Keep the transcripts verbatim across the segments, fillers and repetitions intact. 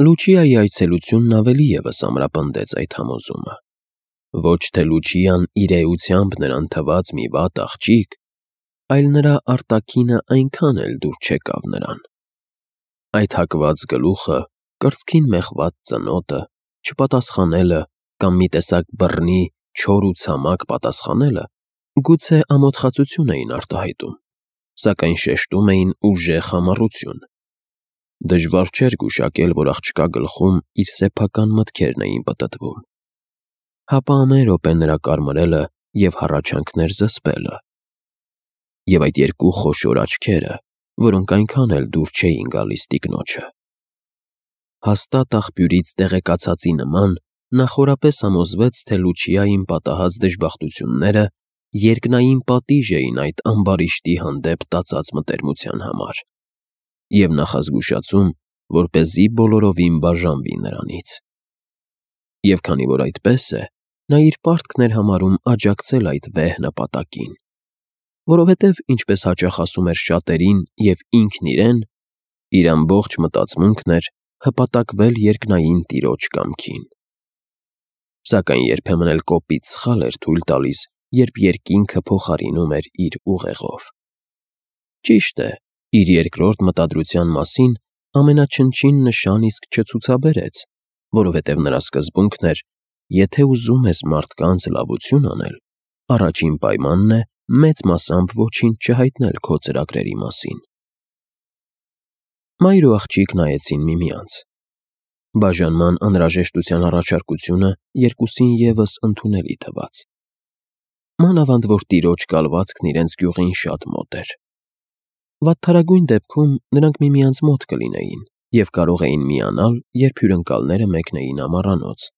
Լուչիայի այցելությունն ավելի ևս ամրապնդեց այդ համոզումը։ Ոչ թե Լուչիան իր էությամբ նրան թված մի վատ աղջիկ, այլ նրա արտաքինը այնքան էլ դուր չեկավ նրան։ Այդ հակված գլուխը, կրծքին մեխված ծնոտը, չպատասխանելը կամ մի տեսակ բռնի, չոր ու ցամաք պատասխանելը գուցե ամոթխածություն էին արտահայտում, սակայն շեշտում էին ուժեղ համառություն։ Դժվար չէր գուշակել, որ աղջկա գլխում իր սեփական մտքերն էին պտտվում։ Հապա ամեն րոպե նրա կարմրելը և հառաչանքներ զսպելը։ Եվ այդ երկու խոշոր աչքերը, որոնք այնքան էլ դուր չէին գալիս տիկնոջը։ Հաստատ աղբյուրից տեղեկացածի նման նա խորապես համոզվեց, թե Լուչիային պատահած դժբախտությունները երկնային պատիժ էին այդ ամբարիշտի հանդեպ տածած մտերմության համար, և նախազգուշացում, որպեսզի բոլորովին բաժանվի նրանից։ Եվ քանի որ այդպես է, նա իր պարտքն էր համարում աջակցել այդ վեհ նպատակին, որովհետև, ինչպես հաճախ ասում էր շատերին և ինքն իրեն, իր ամբողջ մտածմունքն էր հպատակվել երկնային տիրոջ կամքին։ Սակայն երբեմն էլ կոպիտ սխալ էր թույլ տալիս, երբ երկինքը փոխարինում էր իր ուղեղով։ Ճիշտ է, իր երկրորդ մտադրության մասին ամենաչնչին նշան իսկ չցուցաբերեց, որովհետև նրա սկզբունքն էր. եթե ուզում ես մարդկանց լավություն անել, առաջին պայմանն է մեծ մասամբ ոչինչ չհայտնել քո ծրագրերի մասին։ Մայր ու աղջիկ նայեցին միմյանց։ Բաժանման անհրաժեշտության առաջարկությունը երկուսին ևս ընդունելի թվաց։ Մանավանդ որ տիրոջ կալվածքն իրենց գյուղին շատ մոտ էր։ Վատթարագույն դեպքում նրանք միմյանց մոտ կլինեին և կարող էին միանալ, երբ հյուրընկալները մեկնեին ամառանոց։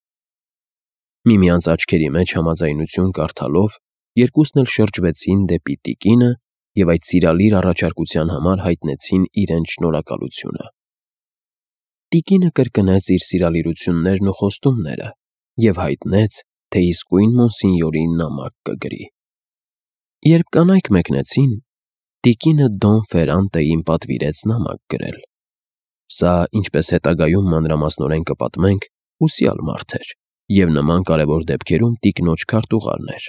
Միմյանց աչքերի մեջ համաձայնություն կարդալով, երկուսն էլ շրջվեցին դեպի տիկինը և այդ սիրալիր առաջարկության համար հայտնեցին իրենց շնորհակալությունը։ Տիկինը կրկնեց իր սիրալիրություններն ու խոստումները և հայտնեց, թե իսկույն մոնսինյորին նամակ կգրի։ Երբ կանայք մեկնեցին, տիկինը Դոն Ֆերանտեին պատվիրեց նամակ գրել։ Սա, ինչպես հետագայում մանրամասնորեն կպատմենք, ուսյալ մարդ էր և նման կարևոր դեպքերում տիկնոջ քարտուղարն էր։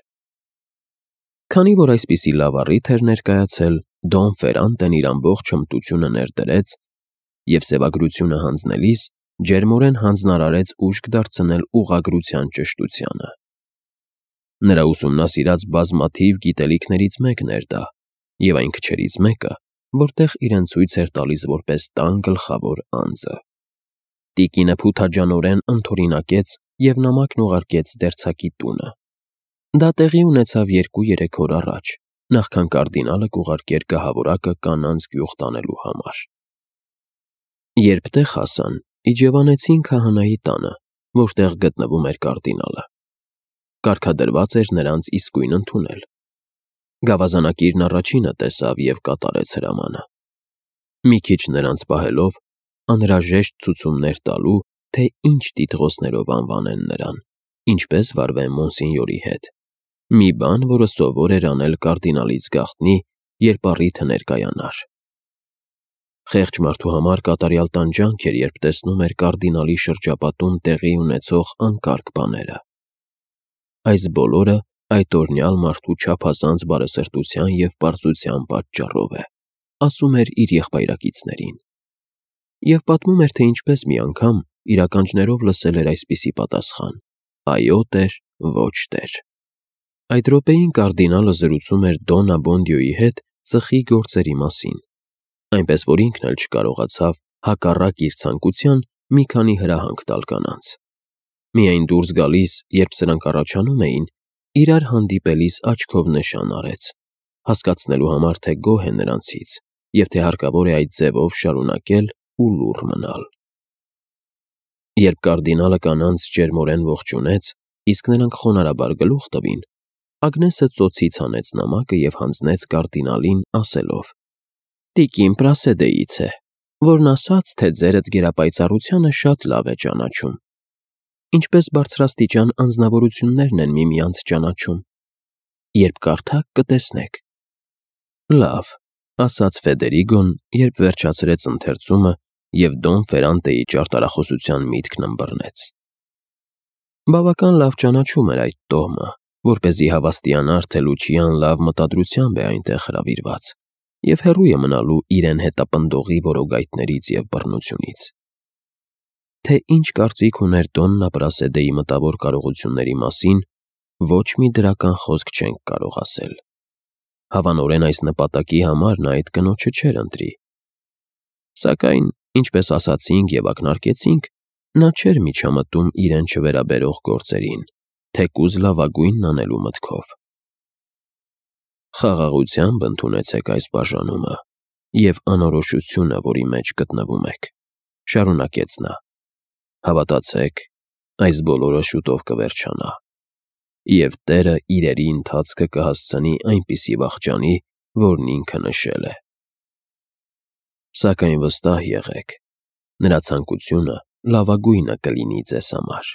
Քանի որ այսպիսի լավ առիթ էր ներկայացել, Դոն Ֆերանտեն իր ամբողջ հմտությունը ներդրեց և սևագրությունը հանձնելիս ջերմորեն հանձնարարեց ուժք դարձնել ուղղագրության ճշտությանը։ Նրա ուսումնասիրած բազմաթիվ գիտելիքներից մեկն էր դա, և այն քչերից մեկը, որտեղ իրեն ցույց էր տալիս որպես տան գլխավոր անձը։ Տիկինը փութաջանորեն ընդօրինակեց և նամակն ուղարկեց դերձակի տունը։ Դա տեղի ունեցավ երկու֊երեք օր առաջ, նախքան կարդինալը կուղարկեր գահավորակը կանանց գյուղ տանելու համար։ Երբ տեղ հասան, իջևանեցին քահանայի տանը, որտեղ գտնվում էր կարդինալը։ Կարգադրված էր նրանց իսկույն ընդունել։ Գավազանակիրն առաջինը տեսավ և կատարեց հրամանը։ Մի քիչ նրանց պահելով, անհրաժեշտ ցուցումներ տալու, թե ինչ տիտղոսներով անվանեն նրան, ինչպես վարվեն մոնսինյորի հետ, մի բան, որը սովոր էր անել կարդինալից գաղտնի, երբ առիթը ներկայանար։ Խեղճ մարդու համար կատարյալ տանջանք էր, երբ տեսնում էր կարդինալի շրջապատում տեղի ունեցող անկարգ բաները։ Այս բոլորը այդ օրնյալ մարդու չափազանց բարեսրտության և պարզության պատճառով է, ասում էր իր եղբայրակիցներին։ Եվ պատմում էր, թե ինչպես մի անգամ իր ականջներով լսել էր այսպիսի պատասխան. այո տեր, ոչ տեր։ Այդ րոպեին կարդինալը զրուցում էր Դոն Աբոնդիոյի հետ ծխի գործերի մասին, այնպես որ ինքն էլ չկարողացավ, հակառակ իր ցանկության, մի քանի հրահանգ տալ կանանց։ Միայն դուրս գալիս, երբ սրանք առաջանում էին, իրար հանդիպելիս աչքով նշան արեց, հասկացնելու համար, թե գոհ է նրանցից և թե հարկավոր է այդ ձևով շարունակել ու լուռ մնալ։ Երբ կարդինալը կանանց ջերմորեն ողջունեց, իսկ նրանք խոնարհաբար գլուխ տվին, Ագնեսը ծոցից հանեց նամակը և հանձնեց կարդինալին, ասելով. «Տիկին Պրասեդեից է, որն ասաց, թե ձերդ գերապայծառությանը շատ լավ է ճանաչում, ինչպես բարձրաստիճան անձնավորություններն են միմյանց ճանաչում։ Երբ կարդաք, կտեսնեք»։ «Լավ», ասաց Ֆեդերիգոն, երբ վերջացրեց ընթերցումը և Դոն Ֆերանտեի ճարտարախոսության միտքն ըմբռնեց։ Բավական լավ ճանաչում էր այդ տոհմը, որպեսզի հավաստիանար, թե Լուչիան լավ մտադրությամբ է այնտեղ հրավիրված և հեռու է մնալու իրեն հետապնդողի որոգայթներից և բռնությունից։ Թե ինչ կարծիք ուներ Դոնն Ապրասեդեի մտավոր կարողությունների մասին, ոչ մի դրական խոսք չենք կարող ասել։ Հավանորեն այս նպատակի համար նա այդ կնոջը չէր ընտրի։ Սակայն, ինչպես ասացինք և ակնարկեցինք, նա չէր միջամտում իրեն չվերաբերող գործերին, թեկուզ լավագույնն անելու մտքով։ Խաղաղությամբ ընդունեցեք այս բաժանումը և անորոշությունը, որի մեջ գտնվում եք, շարունակեց նա։ Հավատացեք, այս բոլորը շուտով կվերջանա, և Տերը իրերի ընթացքը կհասցնի այնպիսի վախճանի, որն ինքը նշել է։ Սակայն վստահ եղեք, նրա ցանկությունը լավագույնը կլինի ձեզ համար։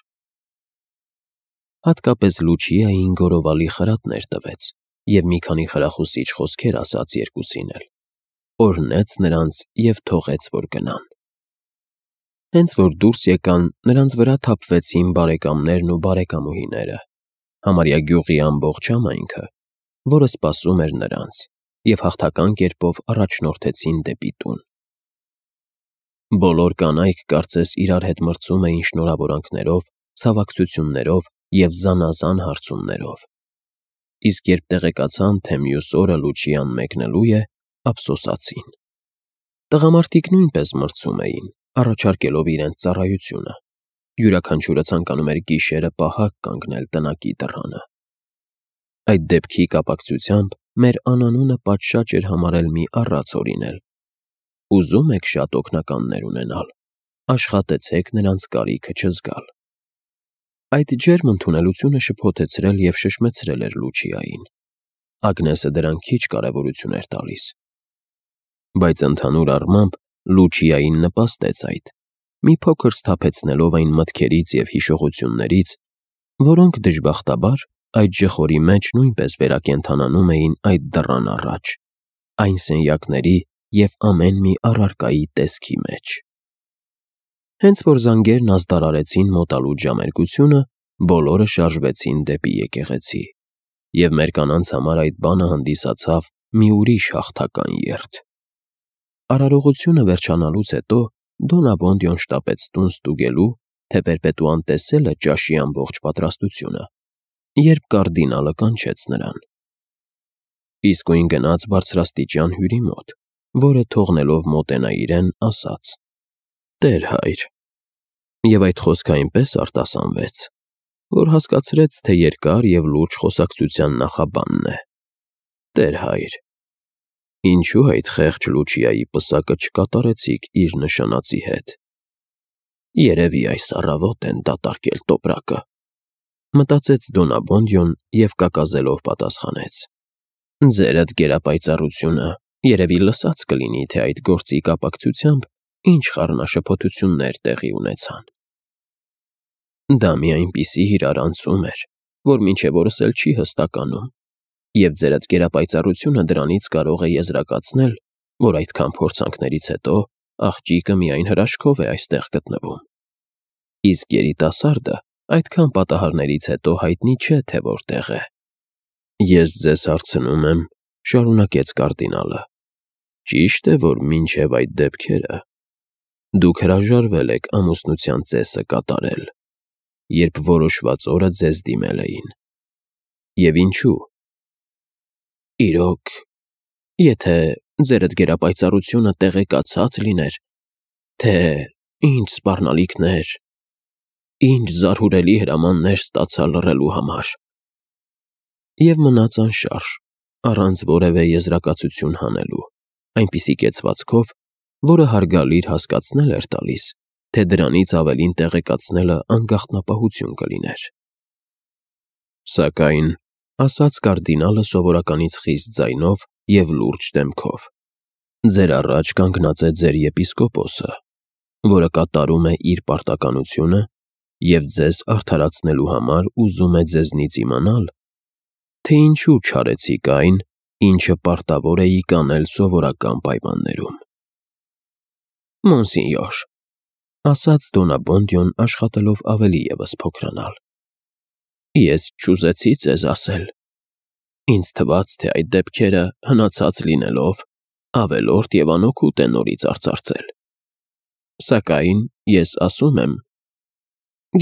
Հատկապես Լուչիային գորովալի խրատներ տվեց և մի քանի խրախուսիչ խոսքեր ասաց երկուսին էլ, օրհնեց նրանց և թողեց, որ գնան։ Հենց որ դուրս եկան, նրանց վրա թափվեցին բարեկամներն ու բարեկամուհիները, համարյա գյուղի ամբողջ համայնքը, որը սպասում էր նրանց, և հաղթական կերպով առաջնորդեցին դեպի տուն։ Բոլոր կանայք կարծես իրար հետ մրցում էին շնորհավորանքներով, ցավակցություններով և զանազան հարցումներով, իսկ երբ տեղեկացան, թե մյուս օրը Լուչիան մեկնելու է, ափսոսացին։ Տղամարդիկ նույնպես մրցում էին, առաջարկելով իրենց ծառայությունը։ Յուրաքանչյուրը ցանկանում էր գիշերը պահակ կանգնել տնակի դռանը։ Այդ դեպքի կապակցությամբ մեր անանունը պատշաճ էր համարել մի առած օրինել։ Ուզում եք շատ օգնականներ ունենալ, աշխատեցեք նրանց կարիքը չզգալ։ Այդ ջերմ ընդունելությունը շփոթեցրել և շշմեցրել էր Լուչիային։ Ագնեսը դրան քիչ կարևորություն էր տալիս։ Բայց ընդհանուր առմամբ Լուչիային նպաստեց այդ, մի փոքր սթափեցնելով այն մտքերից և հիշողություններից, որոնք, դժբախտաբար, այդ ժխորի մեջ նույնպես վերակենդանանում էին այդ դռան առաջ, այն սենյակների և ամեն մի առարկայի տեսքի մեջ։ Հենց որ զանգերն ազդարարեցին մոտալուտ ժամերկությունը, բոլորը շարժվեցին դեպի եկեղեցի, և մեր կանանց համար այդ բանը հանդիսացավ մի ուրիշ հաղթական երթ։ Արարողությունը վերջանալուց հետո Դոն Աբոնդիոն շտապեց տուն ստուգելու, թե Պերպետուան տեսել է ճաշի ամբողջ պատրաստությունը, երբ կարդինալը կանչեց նրան։ Իսկույն գնաց բարձրաստիճան հյուրի մոտ, որը, թողնելով մոտենա իրեն, ասաց. «Տեր հայր», և այդ խոսքը այնպես արտասանվեց, որ հասկացրեց, թե երկար և լուրջ խոսակցության նախաբանն է։ «Տեր հայր, ինչո՞ւ այդ խեղճ Լուչիայի պսակը չկատարեցիք իր նշանածի հետ։ Երևի այս առավոտ են դատարկել տոպրակը», մտածեց Դոն Աբոնդիոն և կակազելով պատասխանեց. «Ձերդ գերապայծառությունը երևի լսած կլինի, թե այդ գործի կապակցությամբ ինչ խառնաշփոթություններ տեղի ունեցան։ Դա մի այնպիսի իրարանցում էր, որ մինչև օրս էլ չի հստականում, և ձերդ գերապայծառությունը դրանից կարող է եզրակացնել, որ այդքան փորձանքներից հետո աղջիկը միայն հրաշքով է այստեղ գտնվում։ Իսկ երիտասարդը այդքան պատահարներից հետո հայտնի չէ, թե որտեղ է։ Ես ձեզ հարցնում եմ, շարունակեց կարդինալը, ճի՞շտ է, որ մինչև այդ դեպքերը դուք հրաժարվել եք ամուսնության ծեսը կատարել, երբ որոշված օրը ձեզ դիմել էին։ Եվ ինչու։ Իրոք, եթե ձերդ գերապայծառությունը տեղեկացած լիներ, թե ինչ սպառնալիքներ, ինչ զարհուրելի հրամաններ ստացա լռելու համար։ Եվ մնաց անշարժ, առանց որևէ եզրակացություն հանելու, այնպիսի կեցվածքով, որը հարգալիր հասկացնել էր տալիս, թե դրանից ավելին տեղեկացնելը անգաղտնապահություն կլիներ։ Սակայն, ասաց կարդինալը սովորականից խիստ ձայնով և լուրջ դեմքով, ձեր առաջ կանգնած է ձեր եպիսկոպոսը, որը կատարում է իր պարտականությունը և ձեզ արդարացնելու համար ուզում է ձեզնից իմանալ, թե ինչու չարեցիք այն, ինչը պարտավոր էիք անել սովորական պայմաններում։ Մոնսինյոր, ասաց Դոնաբոնդյոն աշխատելով ավելի ևս փոքրանալ, ես չուզեցի ձեզ ասել, ինձ թվաց, թե այդ դեպքերը հնացած լինելով ավելորդ և անօգուտ է նորից արծարծել, սակայն ես ասում եմ,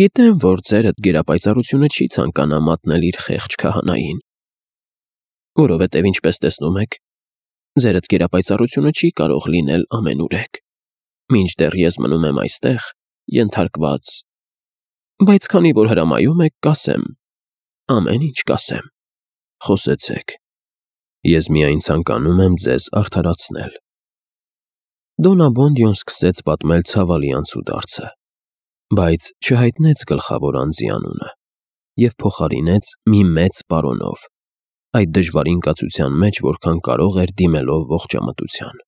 գիտեմ, որ ձերդ գերապայծառությունը չի ցանկանա մատնել իր խեղճ քահանային, որովհետև ինչպես տեսնում եք, ձերդ գերապայծառությունը չի կարող լինել ամենուրեք, մինչդեռ ես մնում եմ այստեղ, ենթարկված, բայց քանի որ հրամայում եք, կասեմ, ամեն ինչ կասեմ, խոսեցեք, ես միայն ցանկանում եմ ձեզ արդարացնել։ Դոնաբոնդյոն սկսեց պատմել ցավալի անցուդարձը, բայց չհայտնեց գլխավոր անձի անունը և փոխարինեց մի մեծ պարոնով, այդ դժվարին կացության մեջ, որքան կարող էր դիմելով ողջամտության։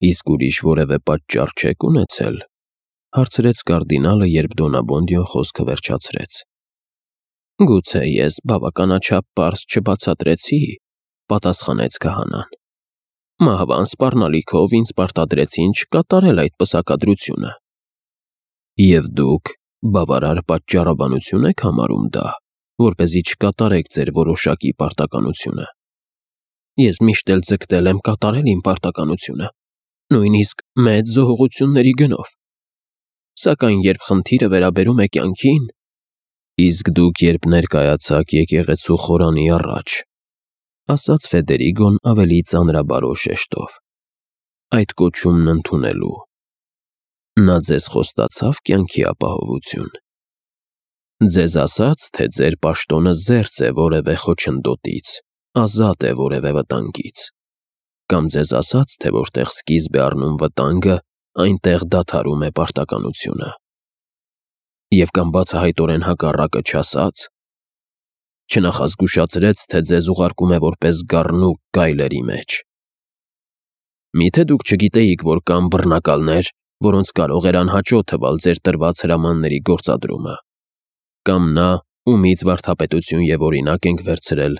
Իսկ ուրիշ որևէ պատճառ չեք ունեցել, հարցրեց կարդինալը, երբ Դոնաբոնդյոն խոսքը վերջացրեց։ Գուցե ես բավականաչափ պարզ չբացատրեցի, պատասխանեց քահանան։ Մահվան սպառնալիքով ինձ պարտադրեցին չկատարել այդ պսակադրությունը։ Եվ դուք բավարար պատճառաբանություն եք համարում դա, որպեսզի չկատարեք ձեր որոշակի պարտականությունը։ Ես միշտ էլ ձգտել եմ կատարել իմ պարտականությունը, նույնիսկ մեծ զոհողությունների գնով։ Սակայն երբ խնդիրը վերաբերում է կյանքին, իսկ դուք երբ ներկայացաք եկեղեցու խորանի առաջ, ասաց Ֆեդերիգոն ավելի ծանրաբարո շեշտով, այդ կոչումն ընդունելու, նա ձեզ խոստացավ կյանքի ապահովություն։ Ձեզ ասաց, թե ձեր պաշտոնը զերծ է որևէ խոչընդոտից, ազատ է որևէ վտանգից, կամ ձեզ ասաց, թե որտեղ սկիզբ է առնում վտանգը, այնտեղ դադարում է պարտականությունը։ Եվ կամ բացահայտորեն հակառակը չասաց, չնախազգուշացրեց, թե ձեզ ուղարկում է որպես գառնուկ գայլերի մեջ։ Միթե դուք չգիտեիք, որ կան բռնակալներ, որոնց կարող էր անհաճո թվալ ձեր տրված հրամանների գործադրումը, կամ նա, ումից վարդապետություն և օրինակ ենք վերցրել,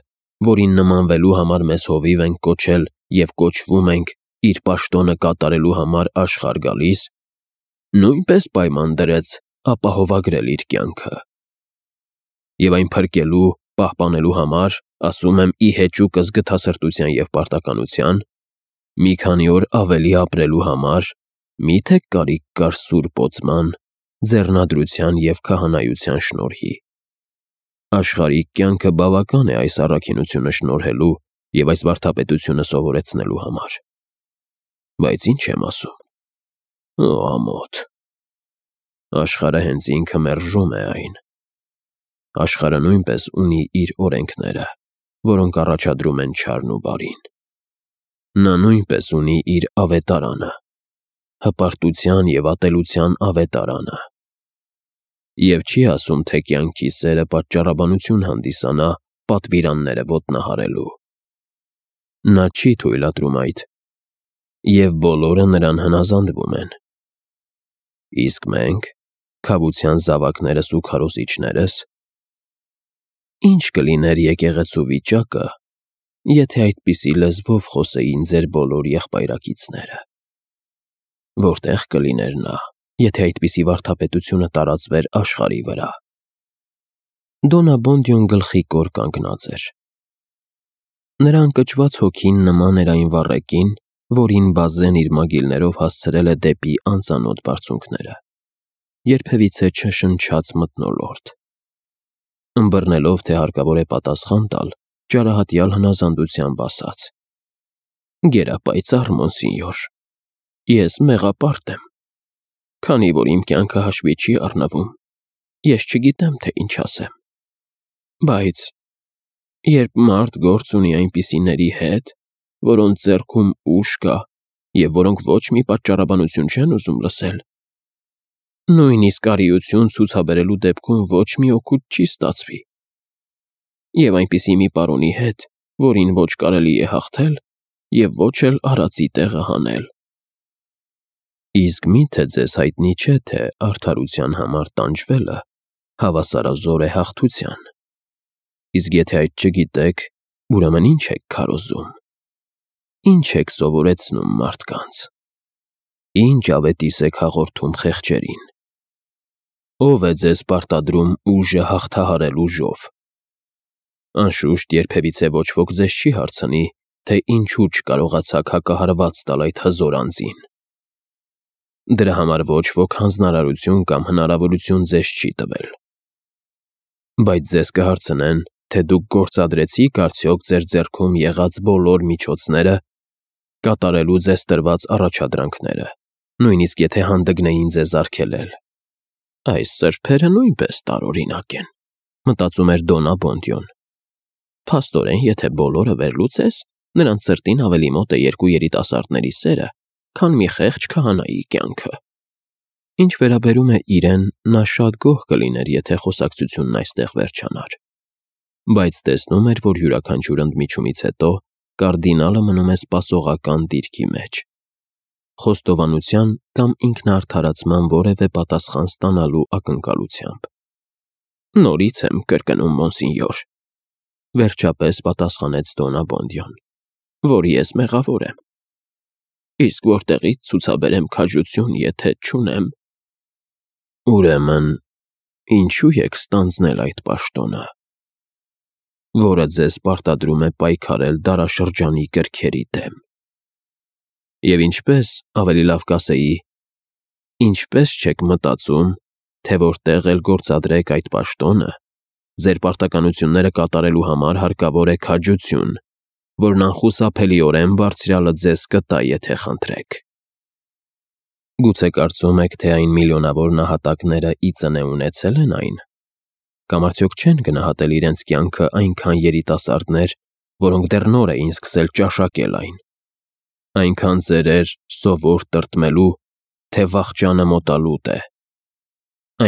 որին նմանվելու համար մեզ հովիվ ենք կոչել և կոչվում ենք իր պաշտոնը կատարելու համար աշխարհ գալիս, նույնպես պայման դրեց ապահովագրել իր կյանքը։ Եվ այն փրկելու, պահպանելու համար, ասում եմ ի հեճուկս գթասրտության և պարտականության, մի քանի օր ավելի ապրելու համար, միթե կարիք կար սուրբ օծման, ձեռնադրության և քահանայության շնորհի։ Աշխարհիկ կյանքը բավական է այս առաքինությունը շնորհելու և այս վարդապետությունը սովորեցնելու համար։ Բայց ինչ եմ ասում։ Օ, ամոթ։ Աշխարհը հենց ինքը մերժում է այն։ Աշխարհը նույնպես ունի իր օրենքները, որոնք առաջադրում են չարն ու բարին։ Նա նույնպես ունի իր ավետարանը, հպարտության և ատելության ավետարանը։ Եվ չի ասում, թե կյանքի սերը պատճառաբանություն հանդիսանա պատվիրանները ոտնահարելու։ Նա չի թույլատրում այդ, և բոլորը նրան հնազանդվում են։ Իսկ մենք, քավության զավակներս ու քարոզիչներս, ի՞նչ կլիներ եկեղեցու վիճակը, եթե այդպիսի լեզվով խոսեին ձեր բոլոր եղբայրակիցները։ Որտե՞ղ կլիներ նա, եթե այդպիսի վարդապետությունը տարածվեր աշխարհի վրա։ Դոնաբոնդյոն գլխի կոր կանգնած էր։ Նրա ընկճված հոգին նման էր այն վառեկին, որին Բազեն իր մագիլներով հասցրել է դեպի անծանոթ բարձունքները, երբևիցե չշնչած մթնոլորտ։ Ըմբռնելով, թե հարկավոր է պատասխան տալ, ճարահատյալ հնազանդությամբ ասաց. Գերապայծառ մոնսինյոր, ես մեղապարտ եմ, քանի որ իմ կյանքը հաշվի չի առնվում, ես չգիտեմ, թե ինչ ասեմ, բայց երբ մարդ գործ ունի այնպիսիների հետ, որոնց ձեռքում ուժ կա և որոնք ոչ մի պատճառաբանություն չեն ուզում լսել, նույնիսկ արիություն ցուցաբերելու դեպքում ոչ մի օգուտ չի ստացվի, և այնպիսի մի պարոնի հետ, որին ոչ կարելի է հաղթել և ոչ էլ արածի տեղը հանել։ Իսկ մի՞թե ձեզ հայտնի չէ, թե արդարության համար տանջվելը հավասարազոր է հաղթության։ Իսկ եթե այդ չգիտեք, ուրեմն ի՞նչ եք քարոզում։ Ի՞նչ եք սովորեցնում մարդկանց։ Ինչ ավետիս եք հաղորդում խեղճերին։ Ո՞վ է ձեզ պարտադրում ուժը հաղթահարել ուժով։ Անշուշտ երբևիցե ոչ ոք ձեզ չի հարցնի, թե ինչու չկարողացաք հակահարված տալ այդ հզոր անձին։ Դրա համար ոչ ոք հանձնարարություն կամ հնարավորություն ձեզ չի տվել։ Բայց ձեզ կհարցնեն, թե դուք գործադրեցիք արդյոք ձեր ձեռքում եղած բոլոր միջոցները կատարելու ձեզ տրված առաջադրանքները, նույնիսկ եթե հանդգնեին ձեզ արգելել։ Այս սրբերը նույնպես տարօրինակ են, մտածում էր Դոննա Բոնդյոն։ Փաստորեն, եթե բոլորը վերլուծես, նրանց սրտին ավելի մոտ է երկու երիտասարդների սերը, քան մի խեղճ քահանայի կյանքը։ Ինչ վերաբերում է իրեն, նա շատ գոհ կլիներ, եթե խոսակցությունն այստեղ վերջանար։ Բայց տեսնում էր, որ յուրաքանչյուր ընդմիջումից հետո կարդինալը մնում է սպասողական դիրքի մեջ, խոստովանության կամ ինքնաարդարացման որևէ պատասխան ստանալու ակնկալությամբ։ Նորից եմ կրկնում, մոնսինյոր, վերջապես պատասխանեց Դոննա Բոնդյոն, որ ես մեղավոր եմ։ Իսկ որտեղից ցուցաբերեմ քաջություն, եթե չունեմ։ Ուրեմն, ինչու եք ստանձնել այդ պաշտոնը, որը ձեզ պարտադրում է պայքարել դարաշրջանի կրքերի դեմ։ Եվ ինչպես, ավելի լավ կասեի, ինչպես չեք մտածում, թե որտեղ էլ գործադրեք այդ պաշտոնը, ձեր պարտականությունները կատարելու համար հարկավոր է քաջություն, որն անխուսափելիորեն բարձրյալը ձեզ կտա, եթե խնդրեք։ Գուցե կարծում եք, թե այն միլիոնավոր նահատակները ի ծնե ունեցել են այն, կամ արդյոք չեն գնահատել իրենց կյանքը այնքան երիտասարդներ, որոնք դեռ նոր էին սկսել ճաշակել այն, այնքան ծերեր սովոր տրտմելու, թե վախճանը մոտալուտ է,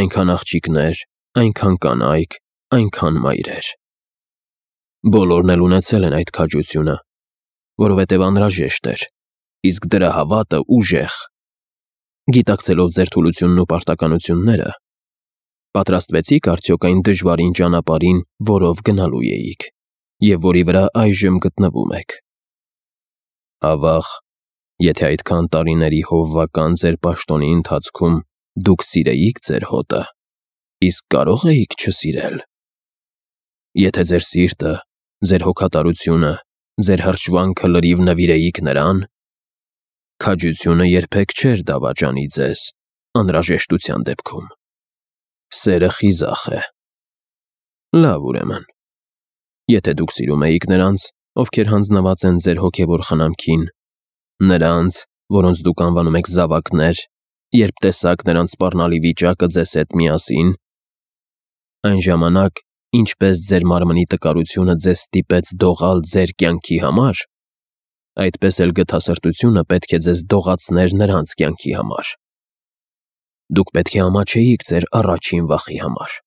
այնքան աղջիկներ, այնքան կանայք, այնքան մայրեր։ Բոլորն էլ ունեցել են այդ քաջությունը, որովհետև անհրաժեշտ էր, իսկ դրա հավատը ուժեղ։ Գիտակցելով ձեր թուլությունն ու պարտականությունները, պատրաստվեցիք արդյոք այն դժվարին ճանապարհին, որով գնալու էիք, և որի վրա այժմ գտնվում եք։ Ավաղ, եթե այդքան տարիների հովվական ձեր պաշտոնի ընթացքում դուք սիրեիք ձեր հոտը, իսկ կարո՞ղ էիք չսիրել։ Եթե ձեր սիրտը, ձեր հոգատարությունը, ձեր հրճվանքը լրիվ նվիրեիք նրան, քաջությունը երբեք չէր դավաճանի ձեզ անհրաժեշտության դեպքում։ Սերը խիզախ է։ Լավ, ուրեմն, եթե դուք սիրում էիք նրանց, ովքեր հանձնված են ձեր հոգևոր խնամքին, նրանց, որոնց դուք անվանում եք զավակներ, երբ տեսաք նրանց սպառնալի վիճակը ձեզ հետ միասին, այն ժամանակ, ինչպես ձեր մարմնի տկարությունը ձեզ ստիպեց դողալ ձեր կյանքի համար, այդպես էլ գթասրտությունը պետք է ձեզ դողացներ նրանց կյանքի համար։ Դուք պետք է ամաչեիք ձեր առաջին վախի համար,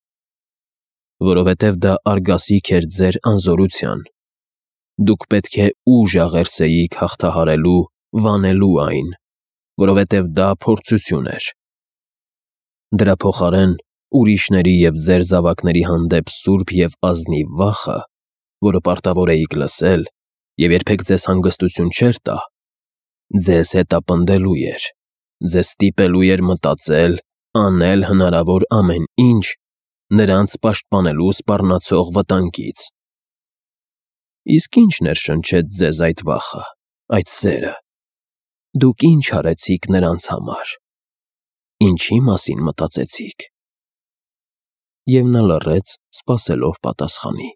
որովհետև դա արգասիք էր ձեր անզորության։ Դուք պետք է ուժ աղերսեիք հաղթահարելու, վանելու այն, որովհետև դա փորձություն էր։ Դրա փոխարեն ուրիշների և ձեր զավակների հանդեպ սուրբ և ազնիվ վախը, որը պարտավոր էիք լսել և երբեք ձեզ հանգստություն չէր տա, ձեզ հետապնդելու էր, ձեզ ստիպելու էր մտածել, անել հնարավոր ամեն ինչ նրանց պաշտպանելու սպառնացող վտանգից։ Իսկ ի՞նչ ներշնչեց ձեզ այդ վախը, այդ սերը։ Դուք ի՞նչ արեցիք նրանց համար։ Ինչի՞ մասին մտածեցիք։ Եվ նա լռեց, սպասելով պատասխանի։